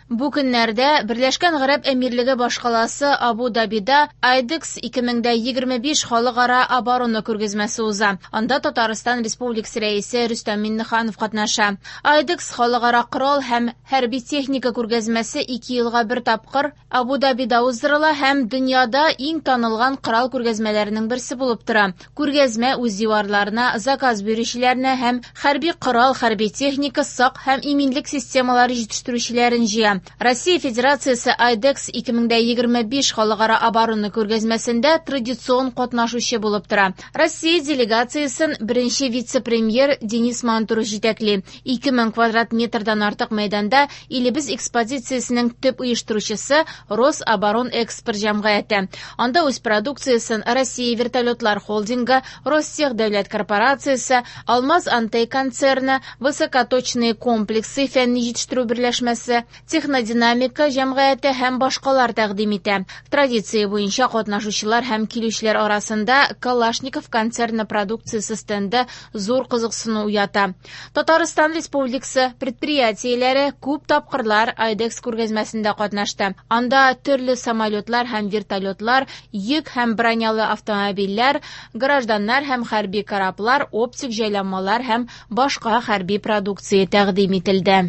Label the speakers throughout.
Speaker 1: Бу көннәрдә Берләшкән Гарәп Әмирлеге башкаласы Абу-Дабида IDEX 2025 халыкара оборона күргәзмәсе уза. Анда Татарстан Республикасы Рәисе Рөстәм Миңнеханов катнаша. IDEX халыкара корал һәм хәрби техника күргәзмәсе 2 елга бер тапкыр Абу-Дабида уздырыла һәм дөньяда иң танылган корал күргәзмәләренең берсе булып тора. Күргәзмә үз диварларына заказ бирүчеләрне һәм хәрби корал, хәрби техника, сак һәм иминлек системалары җитештерүчеләрен җыя. Россия Федерациясе IDEX 2025 халыкара оборона күргәзмәсендә традицион катнашучы булып тора. Россия делегациясен беренче вице-премьер Денис Мантуров җитәкли. 2000 квадрат метрдан артык мәйданда илебез экспозициясенең төп оештыручысы Рособоронэкспорт җәмгыяте. Анда үз продукциясен Россия вертолетлар холдингы, Ростех дәүләт корпорациясе, Алмаз Антей концерны, высокоточные комплексы фәнни җитештерү берләшмәсе, Технодинамика җәмгыяте һәм башкалар тәкъдим итә. Традиция буенча катнашучылар һәм килүчеләр арасында Калашников концерны продукциясе стенды зур кызыксыну уята. Татарстан Республикасы предприятиеләре күп тапкырлар IDEX күргәзмәсендә катнашты. Анда төрле самолетлар һәм вертолетлар, йөк һәм бронялы автомобильләр, гражданнар һәм хәрби кораблар, оптик җайланмалар һәм башка хәрби продукция тәкъдим ителде.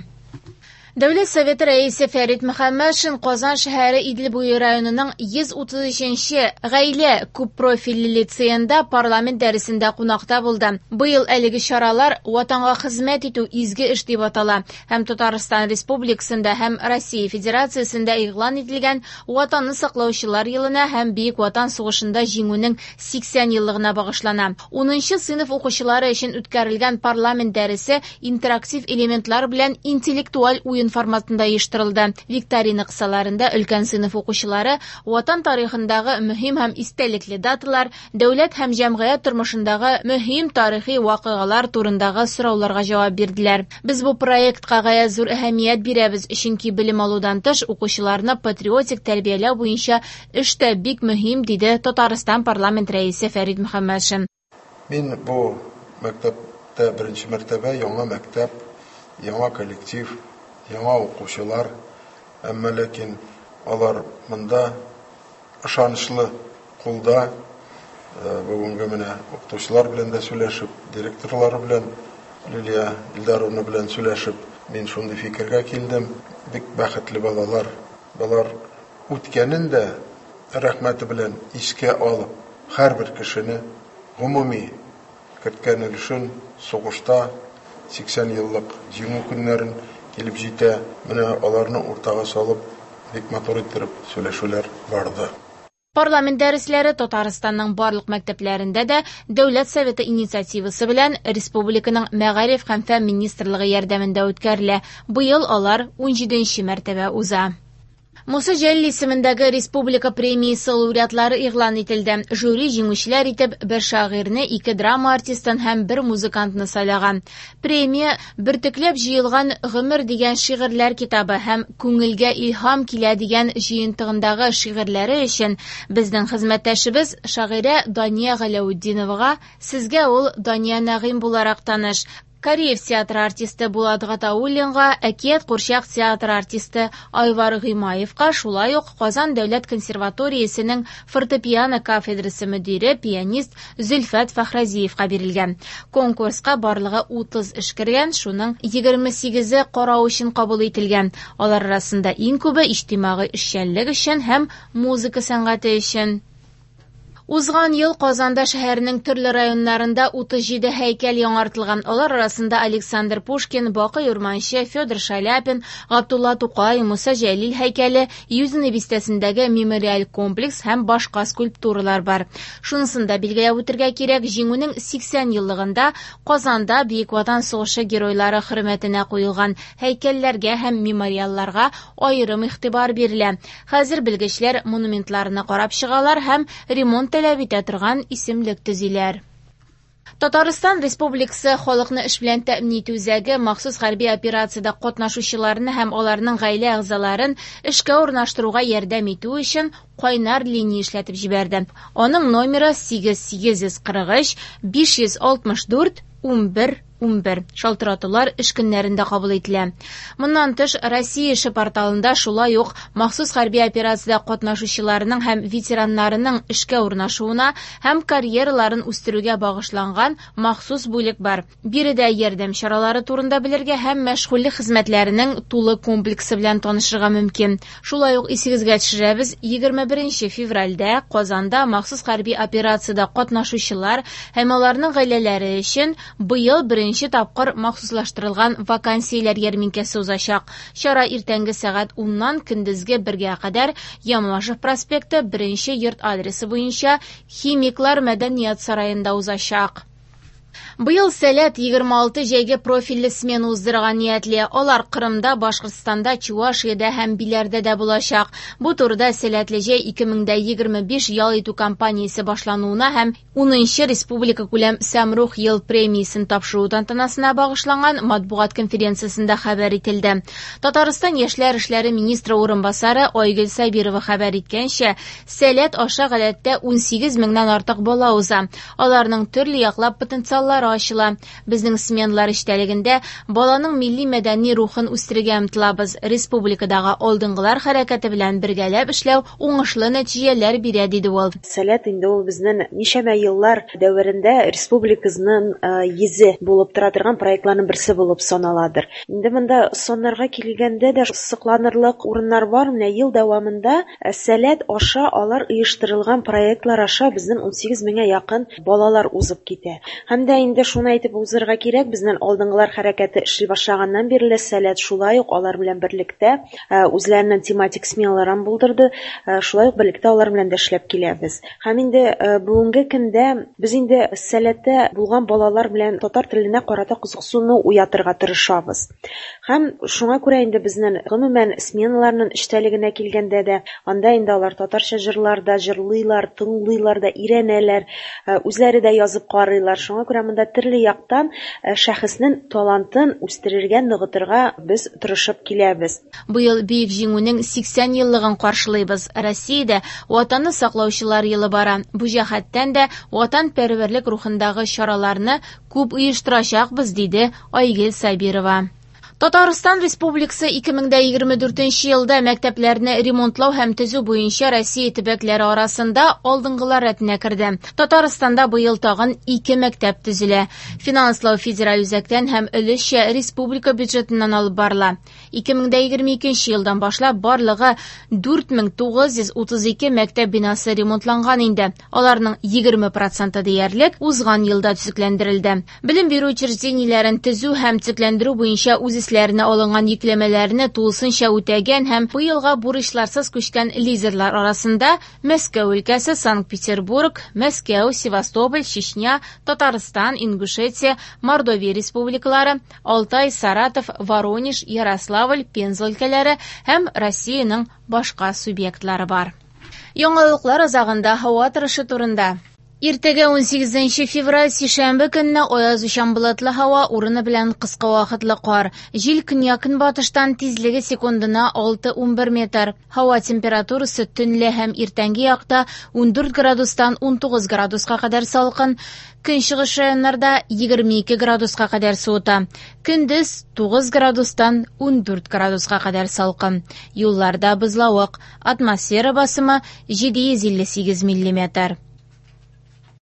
Speaker 1: Дәүләт Советы рәисе Фәрит Мөхәммәтшин Казан шәһәре Идел буе районының 133-нче гаилә күппрофильле лицеенда парламент дәресендә кунакта булды. Быел әлеге чаралар Ватанга хезмәт итү изге эш дип атала һәм Татарстан Республикасында һәм Россия Федерациясендә игълан ителгән Ватанны саклаучылар елына һәм Бөек Ватан сугышында җиңүнең 80 еллыгына багышлана. 10 сыйныф укучылары өчен үткәрелгән парламент дәресе интерактив элементлар белән интеллектуаль уен форматында оештырылды. Викторина кысаларында өлкән сыйныф укучылары Ватан тарихындагы мөһим һәм истәлекле даталар, дәүләт һәм җәмгыять тормышындагы мөһим тарихи вакыйгалар турындагы сорауларга җавап бирделәр. Без бу проектка гаять зур әһәмият бирәбез, чөнки белем алудан тыш укучыларны патриотик тәрбияләү буенча эш тә бик мөһим, диде Татарстан парламент рәисе Фәрит Мөхәммәтшин.
Speaker 2: Мин бу мәктәптә беренче мәртәбә, яңа мәктәп, яңа коллектив, яңа укучылар, әмма ләкин алар монда ышанычлы кулда. Бүгенге менә укытучылар белән дә сөйләшеп, директорлары белән, Лилия Илдаровна белән сөйләшеп, мин шундый фикергә килдем. Бик бәхетле балалар. Болар үткәнен дә рәхмәте белән искә алып, һәрбер кешене гомуми керткән өлешен сугышта 80 еллык җиңү көннәрен килеп җитә. Менә аларны уртага салып, бик матур иттереп сөйләшүләр барды.
Speaker 1: Парламент дәресләре Татарстанның барлык мәктәпләрендә дә Дәүләт Советы инициативасы белән Республиканың Мәгариф һәм фән министрлыгы ярдәмендә үткәрелә. Быел алар 17нче мәртәбә уза. Муса Җәлил исемендәге республика премиясе лауреатлары игълан ителде. Жюри җиңүчеләр итеп бер шагыйрьне, ике драма артистын һәм бер музыкантны сайлаган. Премия бөртекләп җыелган Гомер дигән шигырьләр китабы һәм Күңелгә илһам килә дигән җыентыгындагы шигырьләре өчен безнең хезмәттәшебез шагыйрә Дания Галәүтдиновага, сезгә ул Дания Нәгыйм буларак таныш, Кариев театры артисты Булат Гатауллинга, Әкият курчак театры артисты Айвар Гыймаевка, шулай ук Казан дәүләт консерваториясенең фортепиано кафедрасы мөдире, пианист Зөлфәт Фәхразиевка бирелгән. Конкурска барлыгы 30 эш кергән, шуның 28-е карау өчен кабул ителгән. Алар арасында иң күбе иҗтимагый эшчәнлек өчен һәм музыка сәнгате өчен. Узган ел Казанда шәһәрнең төрле районнарында 37 һәйкәл яңартылган. Алар арасында Александр Пушкин, Бакый Урманче, Федор Шаляпин, Габдулла Тукай, Муса Җәлил һәйкәле, Юзино бистәсендәге мемориаль комплекс һәм башка скульптуралар бар. Шунысын да билгеләп үтергә кирәк, Җиңүнең 80 еллыгында Казанда Бөек Ватан сугышы геройлары хөрмәтенә куелган һәйкәлләргә һәм мемориалларга аерым игътибар бирелә. Хәзер белгечләр монументларны карап чыгалар һәм ремонт таләп итә торган исемлек төзиләр. Татарстан Республикасы халыкны эш белән тәэмин итү үзәге махсус хәрби операциядә катнашучыларны һәм аларның гаилә әгъзаларын эшкә урнаштыруга ярдәм итү өчен кайнар линия эшләтеп җибәрде. Аның номеры 8 843 564 11 11. Шалтыратулар эш көннәрендә кабул ителә. Моннан тыш, Россия эше порталында шулай ук махсус хәрби операциядә катнашучыларның һәм ветераннарының эшкә урнашуына һәм карьераларын үстерүгә багышланган махсус бүлек бар. Биредә ярдәм чаралары турында белергә һәм мәшгульлек хезмәтләренең тулы комплексы белән танышырга мөмкин. Шулай ук исегезгә төшерәбез, 21 февральдә Казанда махсус хәрби операциядә катнашучылар һәм аларның гаиләләре өчен быел беренче тапкыр махсуслаштырылган вакансияләр ярминкәсе узачак. Чара иртәнге сәгать 10-нан көндезге 1-гә кадәр Ямашев проспекты 1 йорт адресы буенча Химиклар мәдәният сараенда узачак. Быел Сәләт 26 җәйге профильле смена уздырырга ниятли. Алар Кырымда, Башкортстанда, Чувашиядә һәм Биләрдә дә булачак. Бу турыда Сәләтле җәй 2025 ял итү кампаниясе башлануына һәм 10нчы республика күләм Сәмрух ел премиясен тапшыру тантанасына багышланган матбугат конференциясендә хәбәр ителде. Татарстан яшьләр эшләре министры урынбасары Айгөл Сабирова хәбәр иткәнчә, Сәләт аша гадәттә 18 меңнән артык бала уза. Аларның төрле яклап потенциаллары ачыла. Безнең сменалар эчтәлегендә баланың милли мәдәни рухын үстерергә омтылабыз. Республикадагы алдынгылар хәрәкәте белән бергәләп эшләү уңышлы нәтиҗәләр бирә, диде ул.
Speaker 3: Сәләт инде ул безнең ничәмә еллар дәверендә республикабызның йөзе булып тора торган проектларның берсе булып саналадыр. Инде монда саннарга килгәндә дә сокланырлык урыннар бар. Менә ел дәвамында Сәләт аша алар оештырылган проектлар аша безнең 18 меңгә якын балалар узып китә. Һәм дә инде шуны әйтеп узырга кирәк, безнең алдынгылар хәрәкәте эшли башлаганнан бирле Сәләт шулай ук алар белән берлектә үзләренең тематик сменаларын булдырды, шулай ук берлектә алар белән дә эшләп киләбез. Һәм инде бүгенге көндә без инде Сәләттә булган балалар белән татар теленә карата кызыксыну уятырга тырышабыз. Һәм шуңа күрә инде безнең гомумән сменаларның эчтәлегенә килгәндә дә, анда инде алар татарча җырлар да җырлыйлар, тыңлыйлар да, өйрәнәләр, үзләре дә язып карыйлар. Шуңа күрә монда төрле яктан шәхеснең талантын үстерергә, ныгытырга без тырышып киләбез.
Speaker 1: Быел Бөек Җиңүнең 80 еллыгын каршылыйбыз. Россиядә Ватанны саклаучылар елы бара. Бу җәһәттән дә ватанпәрвәрлек рухындагы чараларны күп оештырачакбыз, диде Айгөл Сабирова. Татарстан Республикасы 2024 елда мәктәпләрне ремонтлау һәм төзү буенча Россия төбәкләре арасында алдынгылар рәтенә керде. Татарстанда быел тагын 2 мәктәп төзелә. Финанслау федераль үзәктән һәм өлешчә республика бюджетыннан алып барыла. 2022 елдан башлап барлыгы 4932 мәктәп бинасы ремонтланган инде. Аларның 20% диярлек узган елда төзекләндерелде. Белем бирү учреждениеләрен төзү һәм төзекләндерү буенча үз өсләренә алынган йөкләмәләрне тулысынча үтәгән һәм быелга бурычларсыз күчкән лидерлар арасында Мәскәү өлкәсе, Санкт-Петербург, Мәскәү, Севастополь, Чечня, Татарстан, Ингушетия, Мордовия республикалары, Алтай, Саратов, Воронеж, Ярославль, Пенза өлкәләре һәм Россиянең башка субъектлары бар. Яңалыклар азагында һава торышы турында. Иртәгә 18 февраль сишәмбе көнне аязучан болытлы һава, урыны белән кыска вакытлы кар. Җил көньяк-көнбатыштан, тизлеге секундына 6-11 метр. Һава температурасы төнлә һәм иртәнге якта 14 градустан 19 градуска кадәр салкын, көнчыгыш районнарда 22 градуска кадәр суыта. Көндез 9 градустан 14 градуска кадәр салкын. Юлларда бозлавык. Атмосфера басымы 758 миллиметр.